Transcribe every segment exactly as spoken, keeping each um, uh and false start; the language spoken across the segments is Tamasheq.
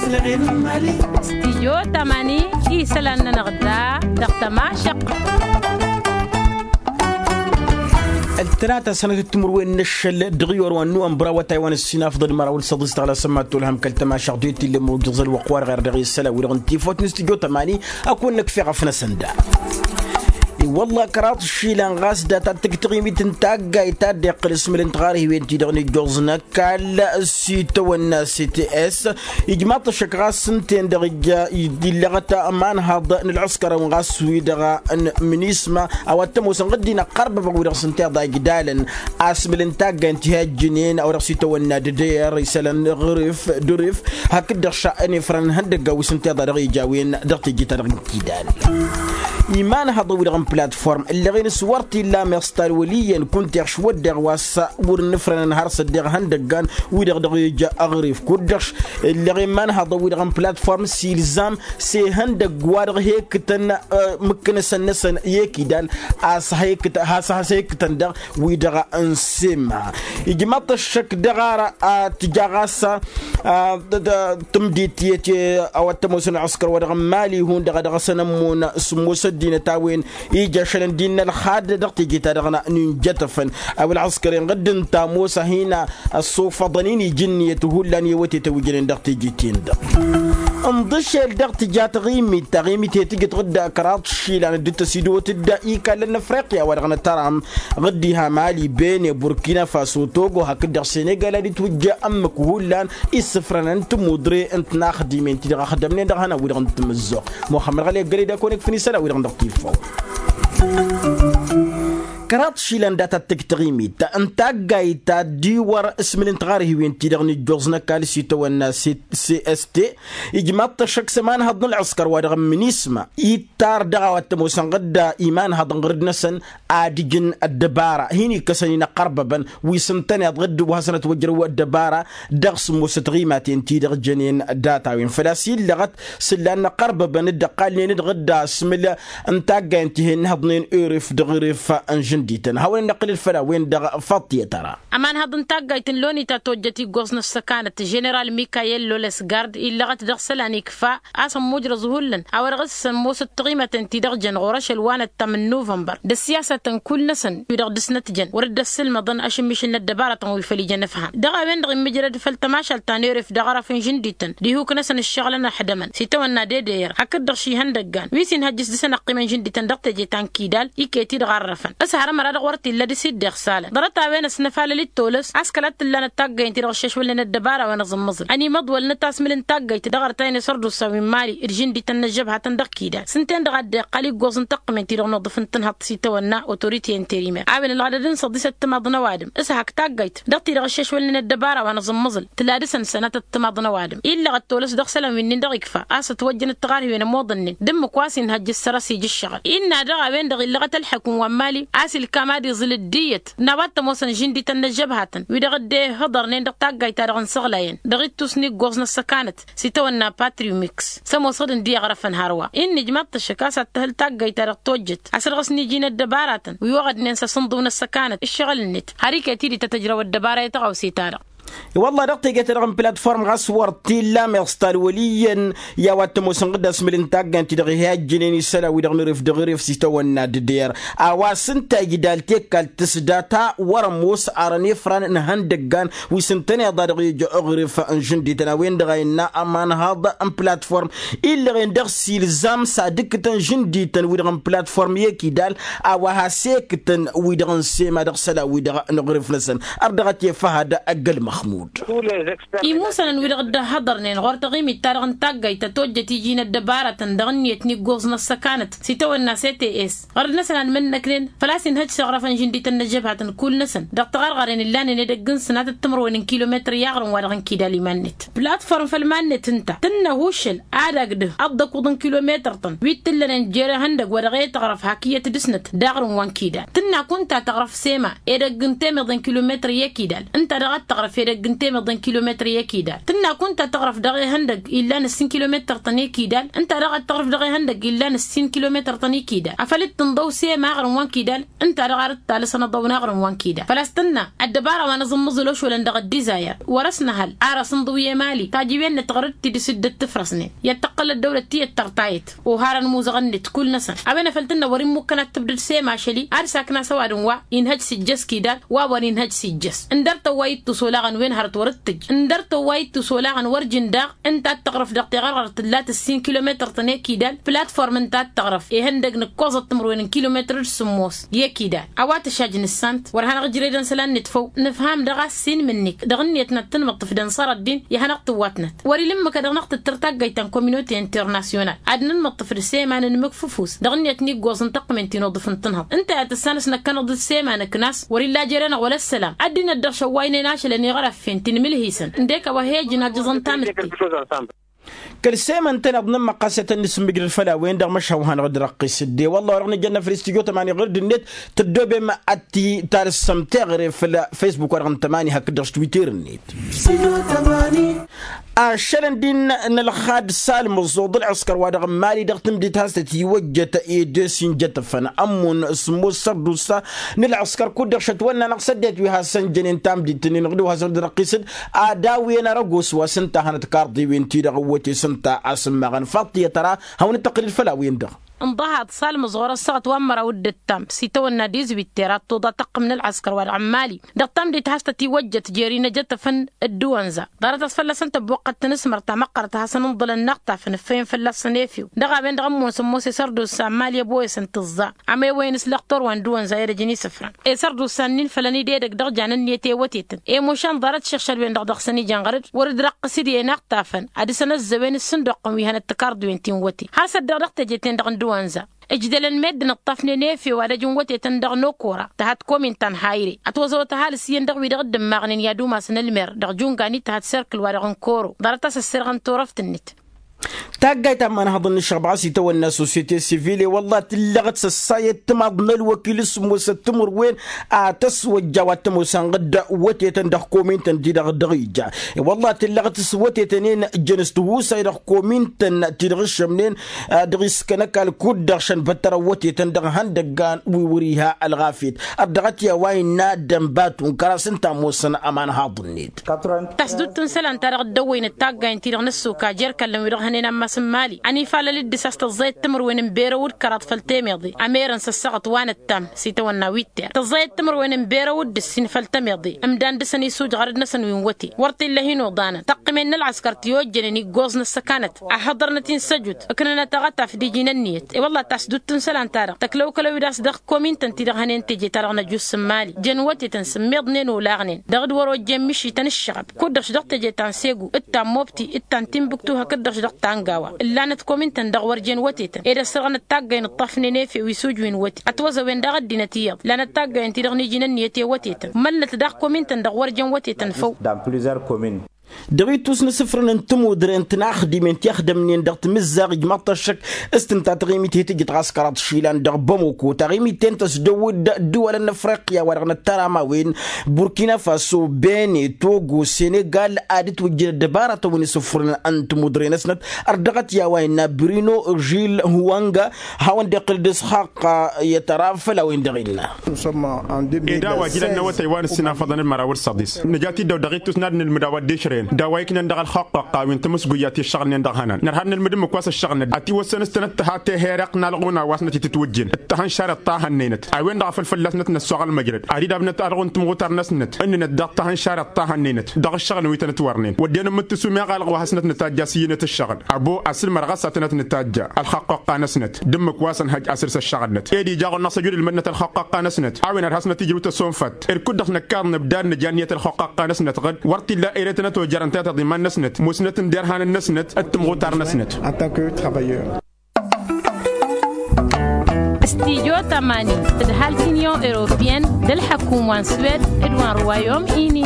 Stijyo tamani isălan-nănăɣ da dăɣ-tămašăq. Ăltălata sănătăt timǝrwen n-ašăl dăɣ-iyor wa n-nuwănbăr awătay wa n-ăssinafḍăd măraw n-săḍis dăɣ-la sămmat tolhăm kăl-tămašăɣ d-e-t illa ămrujăẓ ălwăqq-wa-dăɣ irdeɣ isălan wi-dăɣ n-tifawt n-stijyo tamani. Ad-kăwăn-năkf eɣăf-năsăn da. I-wălla kăraḍ išilan ɣas dat-ad-tǝgg taɣimit n-taggayt ta dd-iqqǝl asmǝl n-tiɣarhiwen-ti-dăɣ n-ijjuẓ n-ăkall s-itawănna s-t s. Ijmaḍ-t ăššăk ɣas ǝnta-en-dăɣ ija illeɣăt ămanhaḍ n-ălɣǝskăr-awăn ɣas wi-dăɣ n-minisma a-wa t-ămoosăn ɣǝddin ăqqărbăbăn wi-dăɣ s-ǝnta iḍa igdalăn asmǝl n-taggayt n-tihajjǝnen a-wa dăɣ-s itawănna d-dd-ăyăr isălan ɣǝrǝf d-ɣǝrǝf. Hakd-dăɣ šănefrăn n-ihăndăgga wi s-ǝnta iḍa dăɣ-ija a-wen dăɣ-teje-ta-dăɣ n-kidal. Imanhăḍăn wi-dăɣ n-platform ǝllăɣen s-wăr t-illa meɣ s-talwăl iyyăn kunta iɣš wădden wa s-wăr ǝnnǝfrănăn har s-ăddeɣ ihăndăggan wi-dăɣ dăɣ-ija aɣrǝf kud-dăɣ. Ǝllăɣen imanhăḍăn wi-dăɣ n-platform s-ilzam s-ihăndăgg wa dăɣ-he-ǝkkǝtăn mǝkkǝnăsăn-năsăn i-ekidal a-s has-he-ǝkkǝtăn dăɣ-wi-dăɣ n-semma. Ijmaḍ-t ăššăk dăɣ-ara a tǝja ɣas tǝmdit i-ete a-wa t-ămoosăn ălɣǝskăr wa dăɣ-n mali hundăɣ a dăɣ-săn ămmun sǝmmos ăddinăt a-wen ija ašăl ăndin n-ălxad dăɣ-teje-ta-dăɣ n-injătăfăn. A-wa ălɣǝskăr-en ɣǝdd ǝnta ămoos a hin-ăssofăḍăn-in ija ǝnniyăt hullan i-awătetăn wi jănen dăɣ-teje-ten-dăɣ. Ǝnḍǝšel dăɣ-tǝja taɣimit taɣimit he-tǝjǝt ɣǝdda kăraḍ išilan dd-tăsidăwăt dd-ikallăn n-afriqya wa dăɣ-nătăram ɣǝddiha mali bene burkina faso togo hakd-dăɣ senegal ad-itwǝjja ǝmmǝk hullan. Issǝfrănăn tămudre n-tinaxdimen ti-dăɣ ăxdămnen dăɣ-ihănan-wi-dăɣ n-tamǝzzuɣt muxămmăd ɣăli ăggălăy d-ad-kăwăn-ikfǝn isălan-wi-dăɣ n-dăɣ-tifaw. Kăraḍ išilan dat-ad-tǝjj taɣimit n-taggayt ta dd-iwăr asmǝl n-tiɣarhiwen ti-dăɣ n-ijjuẓ n-ăkall s-itawănna cst. Ijmaḍ-t ăššăk s-ămanhăḍ n-ălɣǝskăr wa dăɣ-n minisma ittar dăɣ-a-wa t-ămoosăn ɣǝdda imanhăḍăn ɣǝrǝd-năsăn ad-ǝjǝn ăddăbara hin-ikkăsăn-in ăqqărbăbăn wi s-ǝntăneḍ ɣǝdd wa hasăn-ătwăjrăw ăddăbara dăɣ-sǝmmosăt ɣimaten ti-dăɣ jănen data-wen făl-a-s illăɣăt s-ǝllan n-ăqqărbăbăn dd-ăqqalnen d-ɣǝdda asmǝl n-taggay n-tihen n-ihăḍnen urǝf d-ɣǝrǝf n-žǝndităn hawăn-in-năqqǝlǝl făll-a-wen-dăɣ. Făṭṭiyăt ara. Ămanhăḍ n-taggayt n-loni ta tojjăt iggoẓ n-ăssăkanăt ženeral mikayel lolesgard illăɣăt dăɣ-isălan ikfa a-s ămmujrăẓ hullan a-wa dăɣ-s ămmosăt taɣimăten ti-dăɣ jăn ɣur-ašăl wa n-ăttam n-nuvănbăr d-ăssiyasătăn kull-năsăn wi-dăɣ dăr-snăt jăn wăr dd-ăssǝlmăḍăn ašǝmmišǝl n-ăddăbaratăn wi făl ijăn ǝfham dăɣ-a-wen-dăɣ immǝjrăd făll-tămašalt ta n-eref dăɣ-arăf n-žǝndităn d-ihuk-năsăn ǝššăɣǝlăn ăḥdămăn s-itawănna d-edăyăr hakd-dăɣ šihăndăggan wi s-inhăjj s-dăr-săn ăqqimăn žǝndităn dăɣ-teje ta n-kidal iket-i-dăɣ arrăfăn s-hărămăra-dăɣ wăr t-illa d-s-dd-iɣsalăn ḍarăt-a-wen ăsnăfalăl d-tolăs a-s kăla t-tǝllanăt taggayt-ti-dăɣ ăššăšwălnen ăddăbara wa n-aẓǝmmăẓǝl ănimăḍwălnăt asmǝl n-taggayt dăɣ-arăt a-wen isărdusa wi n-mali d-žǝndităn n-ăžžăbhatăn dăɣ-kidal s-ǝnta-en-dăɣ a dd-iqqal iggoẓ n-taqqǝment-ti-dăɣ n-uḍǝf n-tǝnhăḍt s-itawănna otorite interimer a-wen ălɣădăd n-săḍisăt timaḍ n-ăwadǝm s-hak taggayt dăɣ-ti-dăɣ ăššăšwălnen ăddăbara wa n-aẓǝmmăẓǝl tǝla dăr-săn sănatăt timaḍ n-ăwadǝm illăɣ ăttolăs dăɣ-isălan wi-nin-dăɣ ikfa a-s ătwăjjăn ăttăɣarhiwen ămoḍănnen d-ǝmmǝk wa s-inhăjj ǝssărăs ija ǝššăɣǝl innă daɣ a-wen-dăɣ illăɣăt ălḥăkum wa n-mali a-s ilkam ad-iẓǝl ăddinăt n-a-wa t-ămoosăn žǝndităn n-ăžžăbhatăn wi-dăɣ dd-ehăḍărnen dăɣ-taggayt-ta-dăɣ n-isăɣlayăn dăɣ-ittus n-iggoẓ n-ăssăkanăt s-itawănna patriu mix s-ămoosăɣ d-ǝndi iɣrăfăn hărwa innă ijmaḍ-t ăššăk a-s ad-tǝhǝl taggayt-ta-dăɣ tojjăt asărɣǝs n-iji n-ăddăbaratăn wi oɣădnen s-asǝnḍǝw n-ăssăkanăt ǝššăɣǝl-net har iket-i d-tăt-ăjrăw ăddăbara i-tăɣawse-ta-dăɣ. I-wălla dăɣ-teje-ta-dăɣ n-platform ɣas wăr t-illa meɣ s-talwăl iyyăn i-a-wa t-ămoosăn ɣǝdda asmǝl n-taggant-ti-dăɣ ihajjǝnen isălan-wi-dăɣ n-eref dăɣ-eref s-itawănna d-der a-wa s-ǝnta ijdal tekkal tǝsdata wăr-ămoos arăn ifran n-ihăndăggan wi s-ǝntăneḍ a dăɣ-ija aɣref n-žǝndităn a-wen-dăɣ a innă ămanhăḍ n-platform illăɣen dăɣ-s ilzam s-ad-ǝkkǝtăn žǝndităn-wi-dăɣ n-platform i-ekidal a-wa has-ektăn wi-dăɣ n-sema dăɣ-isălan-wi-dăɣ n-aɣrǝf-năsăn. Ărdăɣăt i-făhăd ăgg-ălmăxmud. Imusănăn-wi-dăɣ dd-ăhhăḍărnen ɣur-taɣimit-ta-dăɣ n-taggayt tătojjăt iji n-ăddăbaratăn dăɣ-ǝnniyăt n-iggoẓ n-ăssăkanăt s-itawănna s-t s ɣărd-năsăn ad-mănnăknen făl-a-s inhăj s-iɣrăfăn žǝndităn n-ăžžăbhatăn kull-năsăn dăɣ-taɣărɣaren ǝllanen edăgg n-sănatăt timǝrwen n-kilometăr i-aɣrǝm wa dăɣ-n kidal iman-net. Platform făll-iman-net ǝnta tǝnnă ahuššăl ad-agdăh ăḍḍăkuḍ n-kilometăr-tăn wi t-ǝllănen jer-ihăndăgg wa dăɣ-e-tăɣrăf hak iyyăt dăr-snăt d-aɣrǝm wa n-kidal tǝnna kunta tăɣrăf sema edăgg n-temeḍe n-kilometăr i-ekidal ǝnta daɣ ad-tăɣrăf edăgg. n-temeḍe n-kilometăr i-ekidal tǝnna kunta tăɣrăf dăɣ-ehăndăg illan ǝssin kilometăr-tăn i-ekidal. Ǝnta daɣ ad-tăɣrăf dăɣ-ehăndăg illan ǝssin kilometăr-tăn i-ekidal afăl dd-tǝnḍăw sema aɣrǝm wa n-kidal. Ǝnta daɣ ar dd-talǝsăn aḍăwăn aɣrǝm wa n-kidal făl-a-s tǝnna ăddăbara wa n-aẓǝmmǝẓǝl ošwălăn dăɣ-ăddizayăr wăr-ăsnăhăl ar asǝnḍǝw i-emali tajǝwen-net ɣur-dd tidǝs dd-tǝfrăsnen i-ad-tăqqăl ăddăwlăt tiyyăt tărtayăt. Oharăn imuzăɣăn-net kull-năsăn a-wen afăl tǝnna wăr-immukăn ad-tǝbdǝd sema ašăl-i ad-sakna s-ăwadǝm wa inhăj s-ijjăs kidal wa wăr-inhăj s-ijjăs. Ǝndăr-tăn wa ittus olaɣăn wen hărăt wăr-dd-tǝjj ǝndăr-tăn wa ittus olaɣăn wăr-jǝn daɣ. Ǝnta ad-tăɣrăf dăɣ-teɣărɣărt tǝlla tǝssin kilometăr-tăn i-kidal platform ǝnta ad-tăɣrăf ihăndăg nǝkkoẓăt timǝrwen n-kilometăr d-sǝmmos i-ekidal. A-wa tǝšaj nǝssan-t wăr hanăɣ-ǝjredăn isălan-net făw nǝfham dăɣ-a ǝssin imǝnnik dăɣ-ǝnniyăt n-ad-tǝnmǝṭṭǝf d-ănṣăr ăddin i-ad-hanăɣ-tǝwwatnăt. Wăr-ila ǝmmǝk a dăɣ-năɣ-tǝttăr taggayt ta n-kominote internasyonal ad-nǝnmǝṭṭǝf d-sema n-inǝmmǝk făfus dăɣ-ǝnniyăt n-iggoẓ n-tăqqǝmen ti n-uḍǝf n-tǝnhăḍt. Ǝnta i-ad-tǝssanăsnăkkănăɣ d-sema n-ǝknas wăr-illa jer-enăɣ wăla ăssălam. Ăddinăt dăɣ-šăwwaynen ašăl ăniɣăr ăffen ti n-imǝlhisăn ǝndek a-wa he-ăjjǝn ajǝẓăn tamǝtte. Kăl-sema ǝntăneḍ n-ǝmmăqqasăt ad-nǝsǝmmǝjrăd făll-a-wen-dăɣ măšhawhan ɣǝd răqqis dd-e-wălla orăɣ nǝjănna făll-istijyo tămani ɣǝr-dd-net. Tăddoobem ad-t-talǝssăm teɣăre făll-facebook-wa-dăɣ n-tămani hakd-dăɣ s-twitter-net. Ašălăn din n-ălxad salmǝẓẓuḍ ǝlɣǝskăr wa dăɣ-n mali dăɣ-tǝmdit has-tăt-iwăjjăt edes injătăfăn ămmun sǝmmos sărdusa n-ǝlɣǝskăr kud-dăɣ šătwănna-năɣ s-ăddinăt wi hasăn-jănen tamdit-nin ɣǝd-wa hasăn-dd-răqqis-dd. Ad-awǝyăn arăgos wa s-ǝnta a hanăt karḍewen-ti-dăɣ ǝwwăte s-ǝnta a-s ǝmmaɣăn faḍt i-ad-tăra hawăn-dd-tăqqǝlǝd făll-a-wen-dăɣ. Ǝnḍăhăḍ salmǝẓɣur ăssaɣăt wa n-măraw d-ǝttam s-itawănna dizwitter ad-tuḍa tăqqǝm n-ălɣăskăr wa dăɣ-n mali dăɣ-tamdit has-tăt-iwăjjăt jer-inăjătăfăn. Dd-uwănza ḍarăt a-s fălla-săn tăbbuqqăt tanǝsmărt ta măqqărăt a hasăn-ǝnḍǝlăn naɣ-tafăn ǝffăyăn fălla-săn efew dăɣ-a-wen-dăɣ ămmun sămmos esărdusa n-mali ăboyăsăn tǝẓẓa. Amewăyăn s-lăqtor wa n-dd-uwănza i-ad-ăjăn isǝfran esărdusa-nin fălăn idedăg dăɣ-janan niyăt i-wătetăn. Emušan ḍarăt šiɣšăd-wen-dăɣ dăɣ-săn ijăn ɣăr-dd wăr-dd răqqǝs-dd i-naɣ-tafăn ad-dăr-săn ăzzăwen s-sǝnduqqăn wi hănăt tǝkarḍuwen ti n-wăte har s-ăddeɣ dăɣ-teje-ten-dăɣ n-dd-uwănza. Ǝjdălăn meddǝn ǝṭṭafnen efew ad-ăjǝn wătetăn dăɣ-nokora tăhăt komin ta n-hayre ătwăẓăwăt ăhalǝs iyyăn dăɣ-wi-dăɣ dd-ǝmmaɣnen i-ad-umasăn ălmer dăɣ-junga n-ităhăt serkǝl wa dăɣ-n koro ḍarăt a-s ăssirɣăn turăft-net. Taggayt ta n-imanhăḍăn n-ǝššăɣb ɣas itawănna sosyete sivil i-wălla tǝllăɣăt s-ăssayăt timaḍ n-ălwăkil s-ămoosăt timǝrwen a tăswăjja wa t-ămoosăn ɣǝd wătetăn dăɣ-komintăn-ti-dăɣ dăɣ-ija. I-wălla tǝllăɣăt s-wătetăn-en jăn s-tihusay dăɣ-komintăn ti-dăɣ ǝššămnen dăɣ-iskănăkal kud-dăɣ šăn băttărăn wătetăn dăɣ-ihăndăggan wi wăr-iha ălɣafyăt. Ărdăɣăt i-a-wa innă dănbatu n-kăras ǝnta ămoosăn ămanhaḍ-net. Tasdut n-isălan-ta-dăɣ dd-ăwwăynăt taggayen-ti-dăɣ n-ăssuka jer-ikallăn wi-dăɣ hănen ammas n-imali ănifalăl d-dăr-s a-s tăẓẓayăt timǝrwen n-berăw d-kăraḍ făll-temeḍe. Ămerăn s-ăssaɣăt wa n-ăttam s-itawănna witter tăẓẓayăt timǝrwen n-berăw d-ǝssin făll-temeḍe ǝmdan dăr-săn isuj ɣărăd-năsăn wi n-wăte wăr t-illa hin-oḍanăn tăqqǝmen n-ălɣăskăr ti ojjănen iggoẓ n-ăssăkanăt. Ahăḍărnăt-in s-ăjut ǝknănăt aɣătaf d-iji n-ǝnniyăt. I-wălla tasdut n-isălan-ta-dăɣ tăklăwkălăw-dd a-s dăɣ-komintăn-ti-dăɣ hănen teje-ta-dăɣ n-ăjus n-imali jăn wătetăn s-ǝmmiḍnen olaɣnen dăɣ-dd-wăr-ojjen mišităn ǝššăɣăb kud-dăɣ-š dăɣ-teje ta n-segu d-ta n-mobti d-ta n-tinbuktu hakd-dăɣ-š dăɣ-tangawa. Ǝllanăt komintăn dăɣ-wăr jen wătetăn ed ăssărɣănăt taggay n-ǝṭṭafnen efew isuj wi n-wăte ătwăzăwen daɣ ăddinăt iyyăḍ lanăt taggay-en-ti-dăɣ n-iji n-ǝnniyăt i-wătetăn mălnăt daɣ komintăn dăɣ-wăr jen wătetăn făw. Dăɣ-ittus n-asǝfrăn n-tămudre n-tinaxdimen ti ăxdămnen dăɣ-timǝzzaɣ ijmaḍ-t ăššăk s-tǝnta taɣimit hi-tǝjǝt ɣas kăraḍ išilan dăɣ-bamoko taɣimit-en tăsdăwǝd dd-iwalăn n-afriqya wa dăɣ-năttăr amawen burkina faso bene togo senegal ad-ǝtwǝjjǝd ăddăbaratăn wi n-asǝfrăn n-tămudre-năsnăt. Ărdăɣăt i-a-wa innă brino žil huwanga hawăn-dd-iqqǝl d-isxaqqa i-tăra făll-a-wen-dăɣ innă. Ed a-wa ijlăn n-awătay wa n-ǝssin afăḍăn d-măraw d-săḍis nǝja-t-dd-ăw dăɣ-ittus n-ad-nǝlmǝd a-wa dd-išrăyăn d-a-wa iknăn dăɣ-ălxăqqăqqa wi n-tamǝsguyat i-ǝššăɣǝlnen dăɣ-ihănan nărha ad-nǝlmǝd ǝmmǝk wa s-ǝššăɣǝlnăt ătiwăssăn s-tănăt tǝha tehereɣt n-alɣuna wa s-năt-itǝtwǝjjen d-tahănšarăt ta hănnăynăt. A-wen-dăɣ a făl fălla-s năt-năssoɣăl măjrăd ad-dd-abnăt alɣun timɣutar-năsnăt ǝnnǝnăt dăɣ-tahănšarăt ta hănnăynăt dăɣ-ǝššăɣǝl wi tănătwărnen wădden ǝmmǝt tǝsum i-iɣalɣ wa has-năt-nǝtajj a-s iyyǝnet ǝššăɣǝl abo asǝlmărăɣ a-s ad-tănăt-nǝtajja ălxăqqăqqa-năsnăt d-ǝmmǝk wa s-ănhăj asǝrs ăššăɣǝlnăt ed ija ɣur-năɣ s-ăjud ǝlmădnăt ălxăqqăqqa-năsnăt a-wen ad-has-năt-ijrǝw tăsonfăt ed kud-dăɣ s-năkkaḍ nǝbdad nǝja ǝnniyăt ălxăqqăqqa-năsnăt ɣǝd wăr t-illa ere tănăt-ojărăn tayăt aḍiman-năsnăt musnăt n-derhanăn-năsnăt d-timɣutar-năsnăt. Studyo tămani tǝdhal ti n-inyon europeyăn d-ălḥăkum wa n-swed d-wa n-ruwayom ini.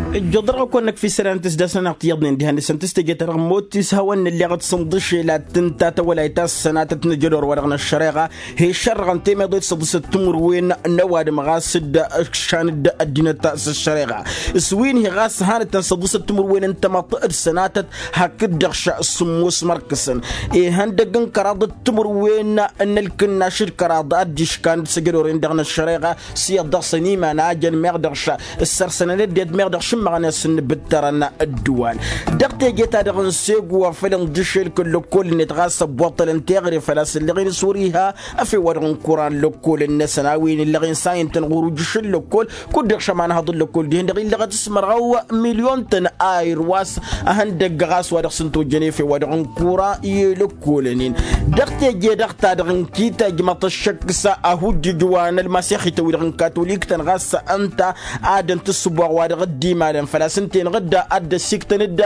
Ǝjjăḍ-dăɣ a-kăwăn-năkf isălan tǝsdasăn-anăɣ tiyyăḍnen dihen-năsăn tǝstăje-ta-dăɣ motis hawăn-nǝlleɣ d-sǝnḍǝšel ad-tǝnta tawălayt ta s-sănatăt n-ajădor-wa-dăɣ n-ăššăreɣa. He-šărrăɣăn temeḍe d-săḍǝsăt timǝrwen n-ăwadǝm ɣas dd-ǝkšan dd-ăddinăt s-ăššăreɣa s-wi n-hi ɣas hanăt-tăn săḍǝsăt timǝrwen n-tamăḍt d-sănatăt hakd-dăɣ š-sǝmmos mărkǝsăn. Ihăndăgg n-kăraḍ d-timǝrwen n-ălkǝnnaš d-kăraḍ ad-dd-iškan d-săjădoren-dăɣ n-ăššăreɣa s-iyyăḍ dăɣ-săn iman a jăn meɣ dăɣ-š ǝssărsănăn ăddinăt meɣ dăɣ-šǝmmăɣăn i-ad-săn-nǝbǝttărăn ădduwal. Dăɣ-teje-ta-dăɣ n-segu afăl ǝnḍǝšel kăl-lăkkol-net ɣas ăbboṭṭălăn teɣre făl-a-s ǝlleɣ-in s-wăr-iha. Ăfewwa-dăɣ n-kura n-lăkkol-năsăn a-wen ǝlleɣ-in s-a intăn ɣur-ujǝš n-lăkkol kud-dăɣ šămanhăḍ n-lăkkol dihen-dăɣ illăɣăt s-mărɣăw milyon-tăn ayǝr wa s-ehăndăgg ɣas wa dăɣ-s ǝnta ojjăn efew wa dăɣ-n-kura i-lăkkolăn-in. Dăɣ-teje-dăɣ-ta-dăɣ n-kitajmăḍ ăššăk s-ahujjǝj wa n-ălmasexităn-wi-dăɣ n-katolik-tăn ɣas ǝnta ad-ănt ǝssǝboɣ wa dăɣ-dd-imalăn făl-a-s ǝnta-enăɣ dd-ad-dd-ăssiktăn-dd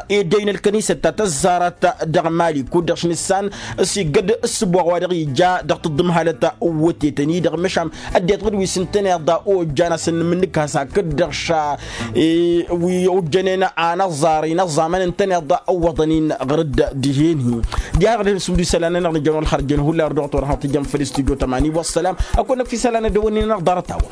ed ăynăl kănisăt ta tăzzarăt dăɣ-mali kud-dăɣ š-nǝssan s-iggăd ǝssǝboɣ wa dăɣ-ija dăɣ-tǝḍḍǝmhalăt ǝwwătetăn-i-dăɣ măšan ăddinăt ɣǝd wi s-ǝntăneḍ ojjan a-s ǝnnǝmǝnnǝk has-hakd-dăɣ ša wi ojjănen anăẓẓar inăẓẓamăn ǝntăneḍ ǝwwăḍăn-in ɣăr-dd dihen-hi. Diha dăɣ-dăɣ-nǝsǝmdǝw isălan-nănăɣ nǝjăn wăla ălxărjăn hullan ărdăɣăt wăr hanăɣ-tǝjjăn făll-studyo tămani wăssălam. Ăkăwăn-năkf isălan ăddăwănnin-anăɣ ḍarăt-a-wa.